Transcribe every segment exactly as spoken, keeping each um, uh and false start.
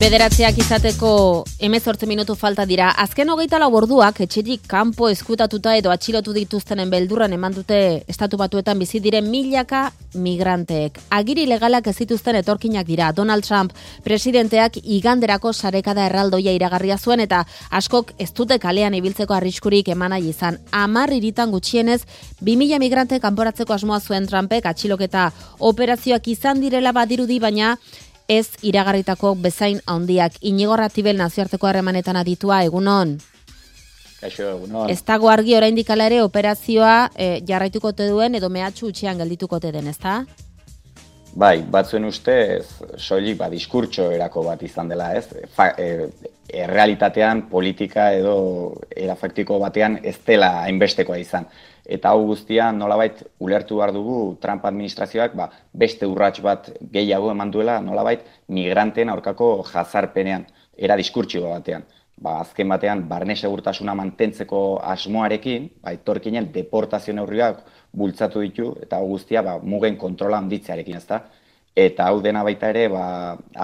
Bederatziak izateko hemezortzi minutu falta dira. Azken hogeita lau orduak etxetik kanpo eskutatuta edo atxilotu dituztenen beldurran eman dute estatu batuetan bizi diren milaka migranteek. Agiri legalak ez dituzten etorkinak dira. Donald Trump presidenteak iganderako sarekada erraldoia iragarria zuen eta askok ez dute kalean ibiltzeko arriskurik eman nahi izan. Hamar hiritan gutxienez bi mila migrante kanporatzeko asmoa zuen Trumpek atxiloketa operazioak izan direla badirudi, baina ez iragarritako bezain handiak. Inigo Ratibel nazioarteko harremanetan aditua, egunon. Kaixo, egunon. Ez dago argi oraindik hala ere operazioa e, jarraituko te duen edo mehatxu utxean geldituko te den, ezta? Bai, batzuen ustez soilik ba diskurtso erako bat izan dela, ez? Fa, e, errealitatean politika edo era faktiko batean ez dela hainbestekoa izan. Eta hau guztia nolabait ulertu behar dugu Trump administrazioak ba, beste urrats bat gehiago eman duela nolabait migranteen aurkako jazarpenean, era diskurtso batean. Ba, azken batean barne segurtasuna mantentzeko asmoarekin, ba, etorkinen deportazio neurriak bultzatu ditu eta hau guztia ba, mugen kontrola handitzearekin, ezta? Eta hau dena baita ere ba,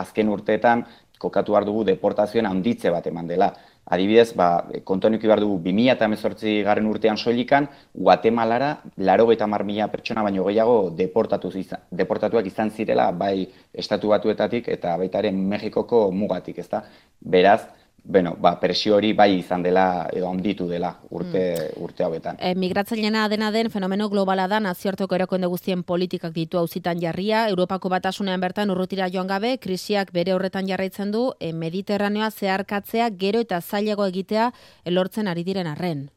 azken urteetan kokatu behar dugu deportazioen handitze bat eman dela. Adibidez, ba, kontuan eduki behar dugu bi mila hemezortzi garren urtean soilikan, Guatemalara laurogeita hamar mila pertsona baino gehiago deportatu izan, deportatuak izan zirela, bai estatu batuetatik eta baita ere Mexikoko mugatik, ezta? Beraz, bueno, ba, presio hori bai izan dela edo handitu dela urte, mm. urte hauetan. E, migratzaileena dena den fenomeno globala da, nazioarteko erakunde guztien politikak ditu auzitan jarria, Europako batasunean bertan urrutira joan gabe, krisiak bere horretan jarraitzen du, e, Mediterraneoa zeharkatzea gero eta zailago egitea elortzen ari diren arren.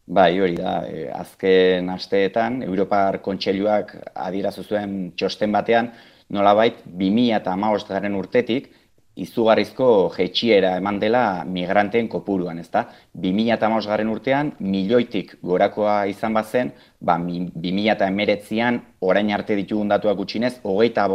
Bai, hori da, e, azken asteetan, Europar Kontseiluak adierazi zuen txosten batean, nolabait bi mila hamabost garren urtetik, izugarrizko jaitsiera eman dela migranteen kopuruan, ezta? bi mila hamabost garren urtean, milioitik gorakoa izan bazen, ba, bi mila hemeretzian orain arte ditugun datuak gutxinez, hogeita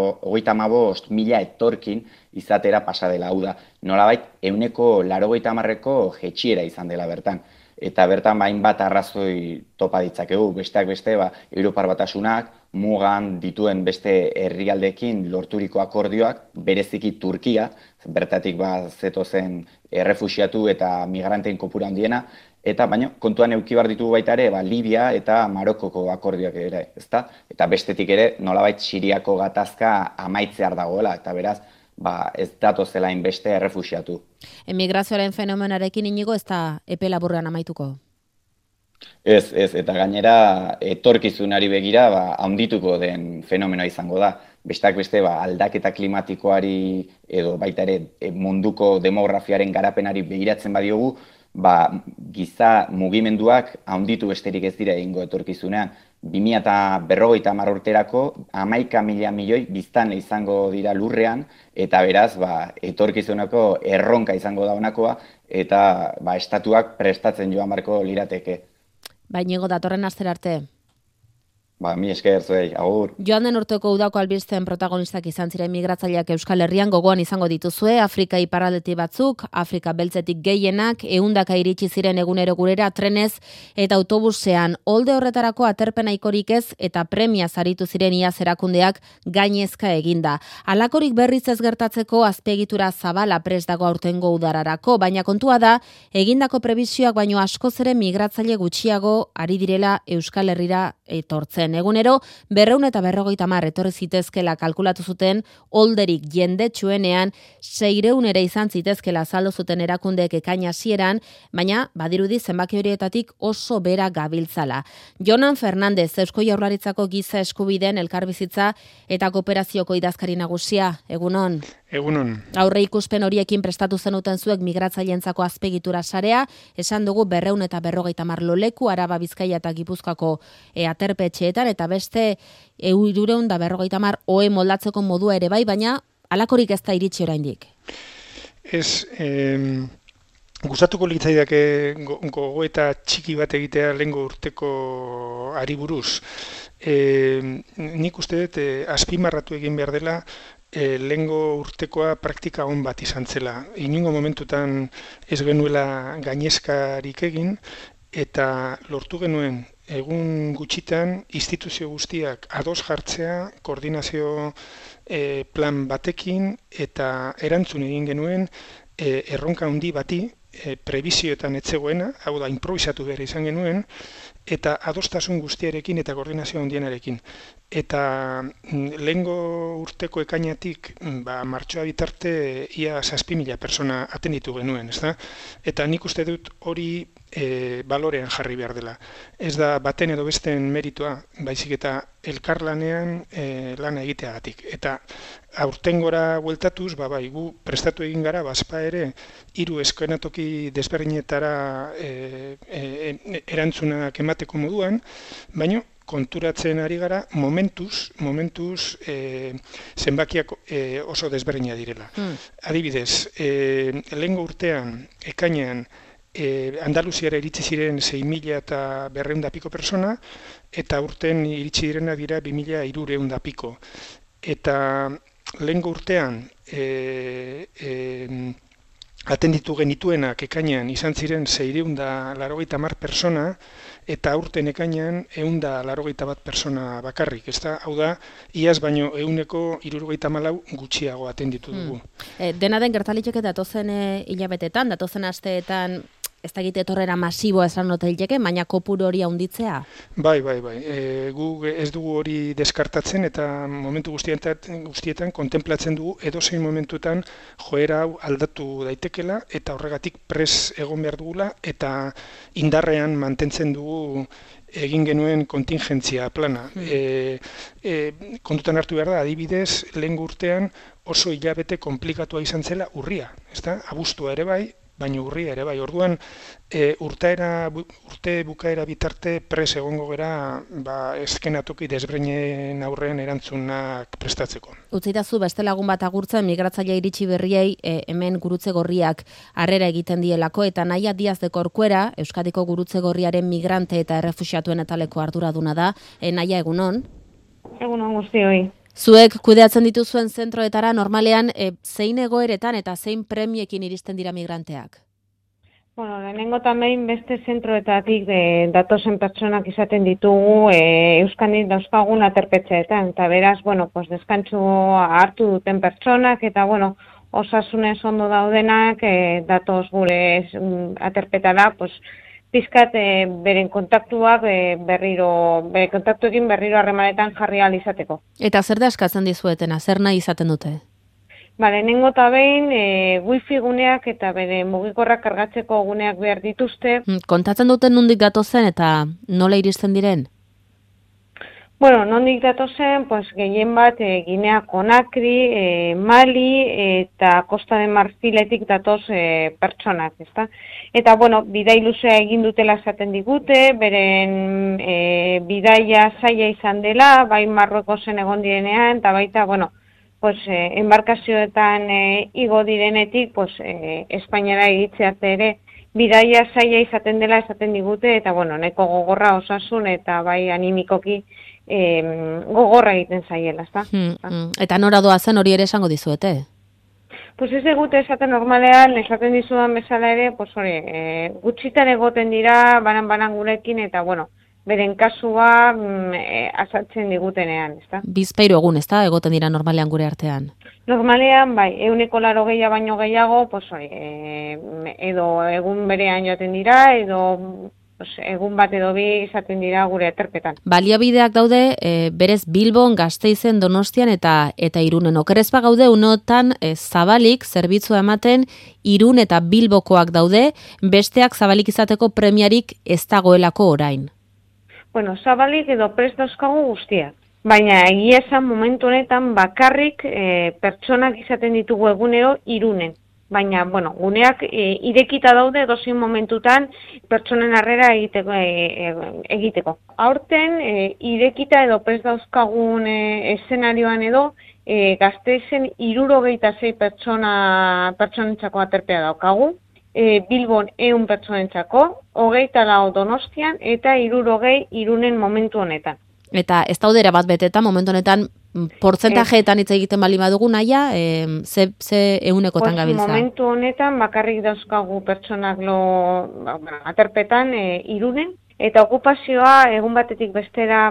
hamabost mila etorkin izatera pasa dela, hau da. Nolabait, ehuneko laurogeita hamarreko jaitsiera izan dela bertan. Eta bertan hainbat arrazoi topa ditzakegu, besteak beste, ba, Europar Batasunak, mugan dituen beste herrialdeekin lorturiko akordioak, bereziki Turkia, bertatik ba, zetozen errefuxiatu eta migranteen kopuru handiena, eta baina kontuan eduki behar ditugu baita ere, ba, Libia eta Marokoko akordioak ere, ezta? Eta bestetik ere, nolabait Siriako gatazka amaitzear dagoela, eta beraz, ba, ez datozela inbeste errefuxiatu. Emigrazioaren fenomenarekin inigo ez da epe laburrean amaituko? Ez, ez, eta gainera etorkizunari begira ba, handituko den fenomenoa izango da. Besteak beste ba, aldaketa klimatikoari edo baita ere munduko demografiaren garapenari begiratzen badiogu, ba, giza mugimenduak handitu besterik ez dira egingo etorkizunean. bi mila berrogeita hamar urterako hamaika mila milioi biztanle izango dira lurrean, eta beraz ba, etorkizuneko erronka izango da honakoa, eta ba, estatuak prestatzen joan barko lirateke. Baina datorren astera arte. Ba, mi esker zuei, agur. Joan den urteko udako albisten protagonistak izan ziren migratzaileak Euskal Herrian gogoan izango dituzue, Afrika iparraldetik batzuk, Afrika beltzetik gehienak, ehundaka iritsi ziren egunero gurera trenez eta autobusean. Olde horretarako aterpena ikorik ez eta premia saritu ziren iaz erakundeak gainezka eginda. Halakorik berriz ez gertatzeko azpiegitura zabala prest dago aurtengo udararako, baina kontua da, egindako prebisioak baino askoz ere migratzaile gutxiago ari direla Euskal Herrira etortzen. Egunero, berreun eta berrogeita hamar etorri zitezkela kalkulatu zuten olderik jendetsuenean, seireun ere izan zitezkela azaldu zuten erakundeek ekaina hasieran, baina badirudi zenbaki horietatik oso bera gabiltzala. Jonan Fernandez, Eusko Jaurlaritzako giza eskubideen elkarbizitza eta kooperazioko idazkari nagusia, egunon. Egunon. Aurre ikuspen horiekin prestatu zenuten zuek migratzaileentzako azpegitura sarea, esan dugu berreun eta berrogeita hamar loleku, Araba, Bizkaia eta Gipuzkoako e, aterpetxeetan, eta beste hirureun da berrogeita hamar ohe moldatzeko modua ere bai, baina halakorik ez da iritsi oraindik. Ez, eh, gustatuko litzaidake gogoeta txiki bat egitea lehengo urteko ari buruz. Eh, nik uste dut eh, azpimarratu egin behar dela E, lehengo urtekoa praktika on bat izan zela. Inungo momentutan ez genuela gainezkarik egin, eta lortu genuen egun gutxitan instituzio guztiak ados jartzea, koordinazio e, plan batekin eta erantzun egin genuen e, erronka handi bati, e, prebizioetan etzegoena, hau da, improvisatu behar izan genuen, eta adostasun guztiarekin eta koordinazio handienarekin. Eta lehengo urteko ekainatik ba, martxoa bitarte ia zazpi mila persona atenditu genuen, ezta? Eta nik uste dut hori e, balorean jarri behar dela. Ez da baten edo besten meritua, baizik eta elkarlanean e, lana egiteagatik. Eta aurtengora bueltatuz, ba, bai, gu prestatu egin gara, bazpa ere, hiru eskenatoki desberdinetara e, e, erantzunak emateko moduan, baina konturatzen ari gara momentuz, momentuz e, zenbakiak e, oso desberdina direla. Mm. Adibidez, e, lehengo urtean, ekainean, e, Andaluziara iritsi ziren sei mila eta berrehun da piko persona, eta urten iritsi direna dira bi mila hirurehun da piko. Eta lehengo urtean, e, e, atenditu genituenak ekainean izan ziren seiehun eta laurogeita hamar persona, eta aurten ekainean ehun eta laurogeita bat persona bakarrik. Ezta? Hau da, iaz baino ehuneko hirurogeita hamalau gutxiago atenditu dugu. Hmm. E, dena den gertaliteke datozen e, hilabetetan, datozen asteetan, ez da egite etorrera masiboa esan notaileke, baina kopuru hori handitzea? Bai, bai, bai. E, gu ez dugu hori deskartatzen eta momentu guztietan, guztietan kontemplatzen dugu edozein momentuetan joera hau aldatu daitekela eta horregatik pres egon behar dugula eta indarrean mantentzen dugu egin genuen kontingentzia plana. Mm. E, e, kontutan hartu behar da, adibidez, lehen urtean oso hilabete komplikatua izan zela urria, ezta? Abuztua ere bai, baina urria ere bai. Orduan, e, urtaera, urte bukaera bitarte pres egongo gera ba, eskenatoki desbreinen aurrean erantzunak prestatzeko. Utzitazu beste lagun bat agurtzen migratzaile iritsi berriei e, hemen gurutze gorriak harrera egiten dielako, eta Naia Diaz de Corcuera, Euskadiko gurutze gorriaren migrante eta errefuxiatuen etaleko arduraduna da. E, Naia, egunon? Egunon guztioi. Zuek kudeatzen dituzuen zentroetara normalean e, zein egoeretan eta zein premiekin iristen dira migranteak? Bueno, lehenengo tamein beste zentroetatik de, datozen pertsonak izaten ditugu e, Euskadin dauzkagun aterpetxeetan. Eta beraz, bueno, pues deskantzu hartu duten pertsonak eta, bueno, osasunez ondo daudenak e, datoz gure aterpetara, pues, pizkat e, beren kontaktuak e, berriro, bere kontaktuekin berriro harremanetan jarri ahal izateko. Eta zer da eskatzen dizuetena, zer nahi izaten dute? Ba, lehenengo eta behin e, wifi guneak eta bere mugikorrak kargatzeko guneak behar dituzte. Kontatzen duten nondik datozen eta nola iristen diren? Bueno, nondik datozen, pues, gehien bat e, Ginea Konakri, e, Mali eta Costa de Marfiletik datoz e, pertsonak, ezta? Eta, bueno, bidai luzea egin dutela esaten digute, beren e, bidaia zaila izan dela, bai Marruekosen egon direnean, eta baita, bueno, pues, e, embarkazioetan e, igo direnetik, pues, e, Espainiara iritzearte ere, bidaia zaila izaten dela esaten digute, eta, bueno, nahiko gogorra osasun eta bai animikoki e, gogorra egiten zaiela, ezta? Hmm, hmm. Eta nora doa zen hori ere esango dizuete? Pues ez egute esaten normalean, esaten dizudan bezala ere, pues hori, e, gutxitan egoten dira, banan-banan gurekin, eta, bueno, beren kasua mm, e, azaltzen digutenean, ezta? Bizpahiru egun, ezta, egoten dira normalean gure artean? Normalean, bai, ehuneko laurogeia baino gehiago, pues hori, e, edo egun berean joaten dira, edo pues, egun bat edo bi izaten dira gure aterpetan. Baliabideak daude, e, berez Bilbon, Gasteizen, Donostian eta eta Irunen. Okerez gaude unotan e, zabalik zerbitzua ematen Irun eta Bilbokoak daude, besteak zabalik izateko premiarik ez dagoelako orain. Bueno, zabalik edo prest dauzkagu guztiak. Baina egia esan momentu honetan bakarrik e, pertsonak izaten ditugu egunero Irunen. Baina, bueno, guneak e, irekita daude dozein momentutan pertsonen harrera egiteko. E, egiteko. Aurten, e, irekita edo prest dauzkagun e, eszenarioan edo, e, Gasteizen hirurogeita sei pertsona, pertsonentzako aterpea daukagu. E, Bilbon ehun pertsonentzako, hogeita lau Donostian eta hirurogei Irunen momentu honetan. Eta ez daude erabat beteta momentu honetan portzentajeetan hitz egiten bali badugu Naia, e, ze, ze ehunekotan pues, gabiltza? Momentu honetan bakarrik dauzkagu pertsonak lo, ba, aterpetan e, Irunen, Eta okupazioa egun batetik bestera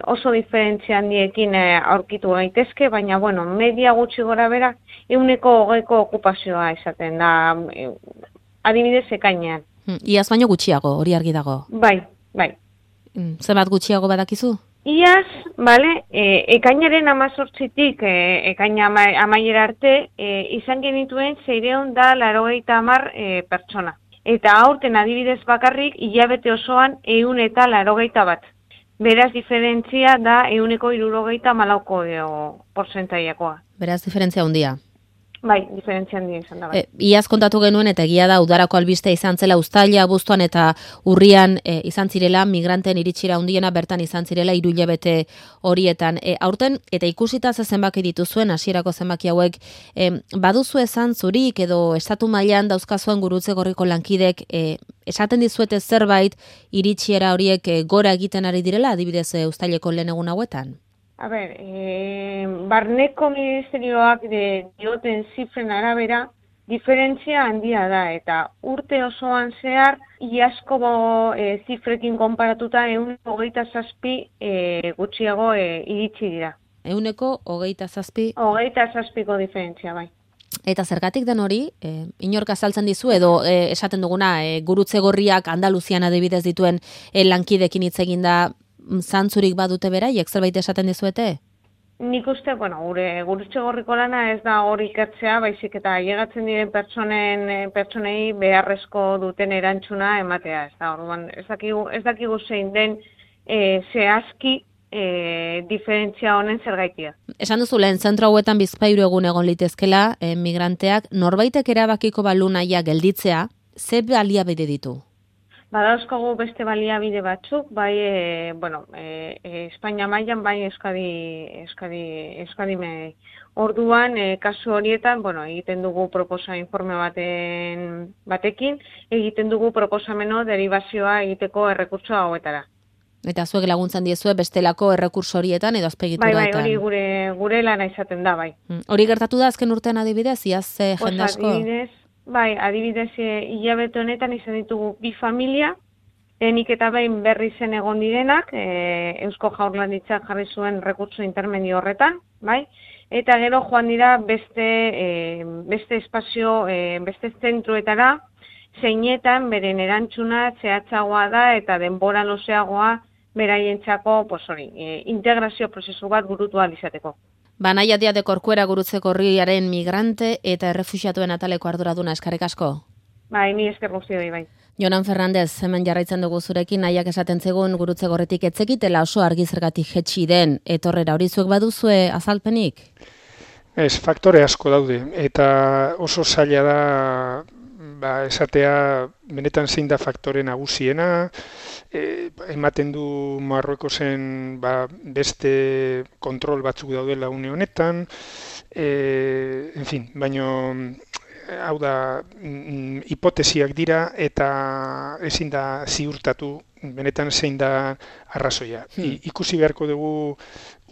oso diferentzia handiekin aurkitu gaitezke, baina bueno, media gutxi gora bera, ehuneko hogeiko okupazioa izaten da, adibidez ekainean. Iaz baino gutxiago, hori argi dago. Bai, bai. Zenbat gutxiago badakizu? Iaz, bale, e, ekainaren amazortzitik e, ekaina ama, amaiera arte, e, izan genituen zeireon da larogeita hamar e, pertsona. Eta aurten adibidez bakarrik, hilabete osoan ehun eta laurogeita bat. Beraz, diferentzia da ehuneko hirurogeita hamalauko portzentaiakoa. Beraz, diferentzia handia. Bai, diferentzia handia izan da. Bai. E, iaz kontatu genuen eta egia da udarako albiste izan zela uztaila, abuztuan eta urrian e, izan zirela, migranten iritsira handiena bertan izan zirela hiru hilabete horietan. E, aurten, eta ikusita ze zenbaki dituzuen, hasierako zenbaki hauek, e, baduzu esan zurik edo estatu mailan dauzkazuen Gurutze Gorriko lankidek, e, esaten dizuete zerbait iritsiera horiek e, gora egiten ari direla, adibidez e, uztaileko lehen egun hauetan? A ber, e, barneko ministerioak de, dioten zifren arabera, diferentzia handia da, eta urte osoan zehar, iazko e, zifrekin konparatuta ehuneko hogeita zazpi e, gutxiago e, iritsi dira. Ehuneko hogeita zazpi? Hogeita zazpiko diferentzia, bai. Eta zergatik den hori, e, inork azaltzen dizu, edo e, esaten duguna, e, Gurutze Gorriak Andaluzian adibidez dituen e, lankidekin hitz egin da, zantzurik badute beraiek, zerbait esaten dizuete? Nik uste, bueno, gure Gurutze Gorriko lana ez da hori ikertzea, baizik eta ailegatzen diren pertsonen pertsonei beharrezko duten erantzuna ematea, ez da, orduan, ez dakigu, ez dakigu zein den e, zehazki e, diferentzia honen zergaitia. Esan duzu lehen, zentro hauetan bizpahiru egun egon litezkela, e, migranteak, norbaitek erabakiko balu naia gelditzea, ze baliabide ditu? Badauzkagu beste baliabide batzuk, bai, e, bueno, e, e, Espainia mailan, bai Euskadi, Euskadi, Euskadi me, orduan, e, kasu horietan, bueno, egiten dugu proposa informe baten, batekin, egiten dugu proposameno derivazioa egiteko errekurtso hauetara. Eta zuek laguntzen diezue bestelako errekurso horietan edo azpegituetan? Bai, bai, hori gure, gure lana izaten da, bai. Hori gertatu da azken urtean adibidez, iaz eh, pues jende asko? Adibidez, bai, adibidez hilabete honetan izan ditugu bi familia, lehenik eta behin berri zen egon direnak, e, Eusko Jaurlaritzak jarri zuen rekurtso intermedio horretan, bai? Eta gero joan dira beste, e, beste espazio, e, beste zentroetara, zeinetan beren erantzuna zehatzagoa da eta denbora luzeagoa beraientzako, pues hori, e, integrazio prozesu bat burutu ahal izateko. Banaia Dia de Corcuera Gurutze Gorriaren migrante eta errefuxiatuen ataleko arduraduna, eskerrik asko. Bai, ni esker guztioi, bai. Jonan Fernandez, hemen jarraitzen dugu zurekin, nahiak esaten zegoen Gurutze Gorritik etzekitela oso argi zergatik jetxi den etorrera, hori zuek baduzue azalpenik? Ez, faktore asko daude, eta oso zaila da ba, esatea benetan zein da faktore nagusiena, e, ematen du Marruekosen ba, beste kontrol batzuk daudela une honetan, e, en fin, baino hau da hipotesiak dira eta ezin da ziurtatu benetan zein da arrazoia. I, ikusi beharko dugu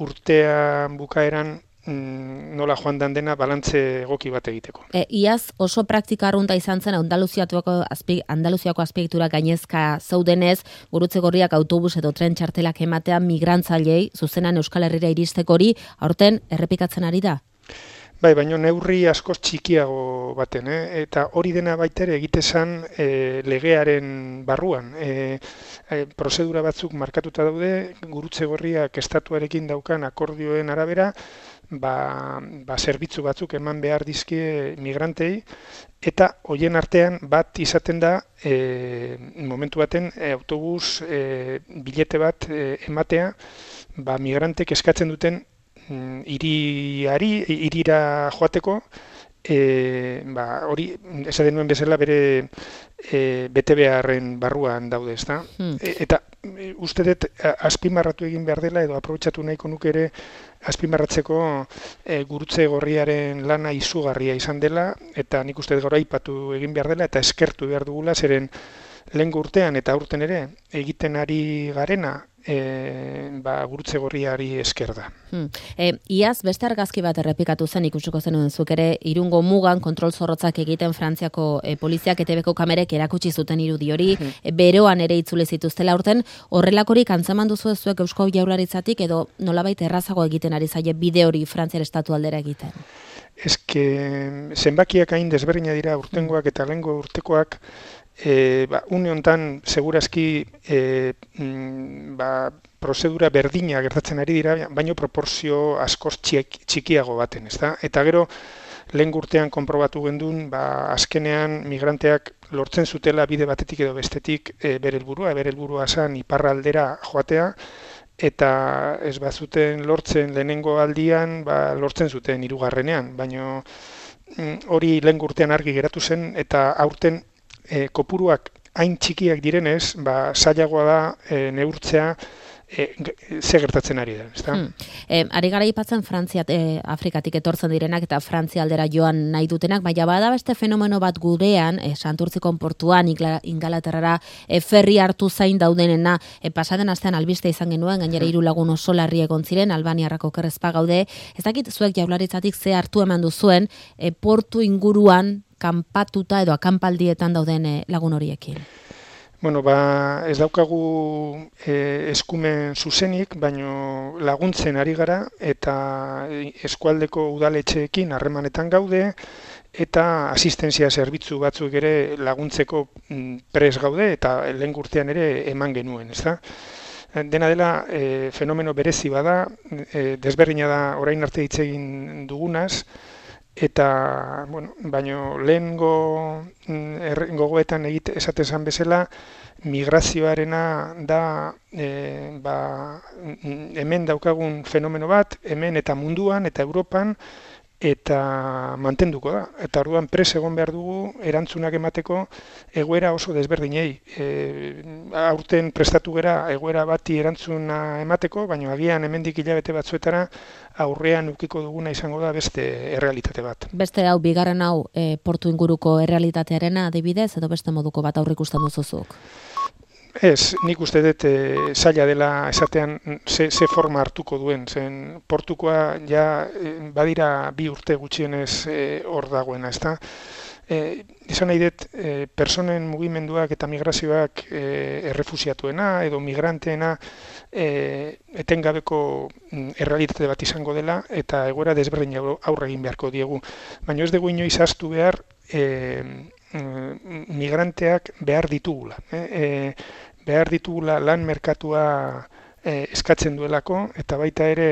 urtean bukaeran nola joan dan dena balantze egoki bat egiteko. E, iaz oso praktika arrunta izan zen Andaluziako azpi, Andaluziako azpiegitura gainezka zaudenez, Gurutze Gorriak autobus edo tren txartelak ematea migrantzailei zuzenan Euskal Herrira iristeko hori aurten errepikatzen ari da? Bai, baina neurri askoz txikiago baten, eh? Eta hori dena baitere egitezan e, legearen barruan. E, e, prozedura batzuk markatuta daude, Gurutze Gorriak estatuarekin daukan akordioen arabera, ba, ba zerbitzu batzuk eman behar dizkie migrantei, eta hoien artean bat izaten da e, momentu baten e, autobus e, bilete bat e, ematea, ba, migrantek eskatzen duten iriari, irira joateko, e, ba, hori, esaten nuen bezala bere e, bete beharren barruan daude, ezta? Hmm. E, eta e, uste dut azpimarratu egin behar dela, edo aprobetxatu nahiko nuke ere azpimarratzeko e, Gurutze Gorriaren lana izugarria izan dela, eta nik uste dut gaur aipatu egin behar dela, eta eskertu behar dugula, zeren lehen urtean eta aurten ere egiten ari garena, E, ba, gurutze gorriari esker da. Hmm. E, iaz, beste argazki bat errepikatu zen ikusiko zenuen zuk ere, Irungo mugan kontrol zorrotzak egiten Frantziako e, poliziak E T Bko kamerek erakutsi zuten irudi hori, hmm. e, beroan ere itzule zituztela urten, horrelakorik antzeman duzu zuek Eusko Jaurlaritzatik edo nolabait errazago egiten ari zaie bide hori Frantziar estatu aldera egiten? Eske, zenbakiak hain desberdina dira urtengoak eta lehengo urtekoak, E, ba, une hontan segurazki e, mm, ba, prozedura berdina gertatzen ari dira, baino proporzio askoz txik, txikiago baten, ezta? Eta gero lehen urtean konprobatu gendun, ba, azkenean migranteak lortzen zutela bide batetik edo bestetik e, bere helburua, bere helburua zen iparraldera joatea, eta ez bazuten lortzen lehenengo aldian, ba, lortzen zuten hirugarrenean, baino mm, hori lehen urtean argi geratu zen, eta aurten E, kopuruak hain txikiak direnez, ba, zailagoa da e, neurtzea e, ze gertatzen ari da. Ezta? Hmm. E, ari gara ipatzen Frantzia, e, Afrikatik etortzen direnak eta Frantzia aldera joan nahi dutenak, baina bada beste fenomeno bat gurean, e, Santurtzikon portuan, Ingalaterrara e, ferri hartu zain daudenena, e, pasaden astean albiste izan genuen, gainera hiru lagun oso larri egon ziren, Albaniarrako kerrezpa gaude, ez dakit zuek Jaurlaritzatik ze hartu eman duzuen, e, portu inguruan kanpatuta edo akanpaldietan dauden lagun horiekin? Bueno, ba, ez daukagu e, eskumen zuzenik, baino laguntzen ari gara eta eskualdeko udaletxeekin harremanetan gaude eta asistentzia zerbitzu batzuk ere laguntzeko pres gaude eta lehen urtean ere eman genuen, ezta? Dena dela e, fenomeno berezi bada, e, desberdina da orain arte hitz egin dugunaz, eta, bueno, baino lehengo gogoetan egite esate esan bezala, migrazioarena da e, ba, hemen daukagun fenomeno bat, hemen eta munduan eta Europan, eta mantenduko da. Eta orduan pres egon behar dugu erantzunak emateko egoera oso desberdinei. E, aurten prestatu gera egoera bati erantzuna emateko, baina agian hemendik hilabete batzuetara aurrean ukiko duguna izango da beste errealitate bat. Beste hau, bigarren hau, e, portu inguruko errealitatearena adibidez, edo beste moduko bat aurrikusten duzuzuk? Ez, nik uste dut e, zaila dela esatean ze, ze forma hartuko duen. Zen portukoa ja e, badira bi urte gutxienez hor e, dagoena, ezta? E, izan nahi dut, e, personen mugimenduak eta migrazioak e, errefusiatuena edo migranteena e, etengabeko errealitate bat izango dela eta egoera desberdin aurre egin beharko diegu. Baina ez dugu inoiz ahaztu behar e, migranteak behar ditugula. Eh? E, behar ditugula lan merkatua e, eskatzen duelako eta baita ere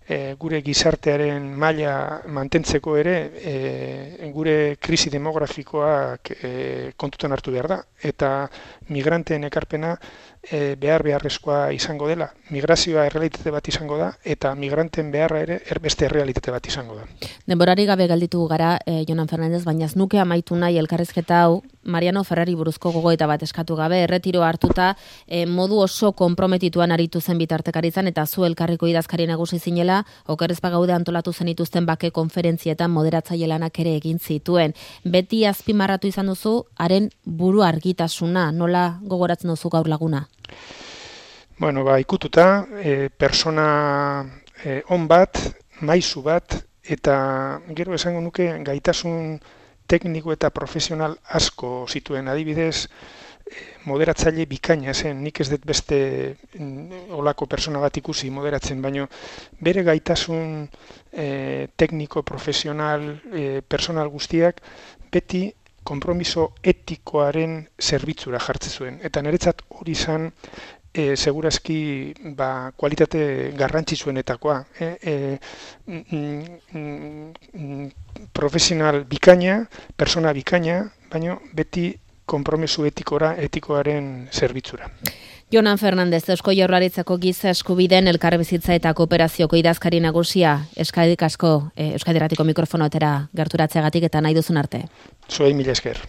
e, gure gizartearen maila mantentzeko ere e, gure krisi demografikoak e, kontutan hartu behar da eta migranteen ekarpena e, behar beharrezkoa izango dela. Migrazioa errealitate bat izango da eta migranten beharra ere beste errealitate bat izango da. Denborari gabe galditu gara, eh, Jonan Fernandez, baina ez nuke amaitu nahi elkarrizketa hau Mariano Ferrari buruzko gogoeta bat eskatu gabe, erretiro hartuta eh, modu oso konprometituan aritu zen bitartekaritzan eta zu elkarriko idazkari nagusi zinela, okerrezpa gaude antolatu zenituzten bake konferentzietan moderatzaile lanak ere egin zituen. Beti azpimarratu izan duzu, haren buru argitasuna, nola gogoratzen duzu gaur laguna? Bueno, ba, ikututa, e, persona e, on bat, maisu bat, eta gero esango nuke gaitasun tekniko eta profesional asko zituen. Adibidez, moderatzaile bikaina zen, nik ez dut beste olako persona bat ikusi moderatzen, baino bere gaitasun e, tekniko, profesional, e, personal guztiak beti konpromiso etikoaren zerbitzura jartzen zuen. Eta niretzat hori izan E, segurazki ba, kualitate garrantzitsuenetakoa. E, e, mm, mm, profesional bikaina, persona bikaina, baina beti konpromiso etikora, etikoaren zerbitzura. Jonan Fernandez, Eusko Jaurlaritzako giza eskubideen elkarbizitza eta kooperazioko idazkari nagusia, eskadik asko, e, Euskadi Irratiko mikrofonoetara gerturatzeagatik eta nahi duzun arte. Zuei mila esker.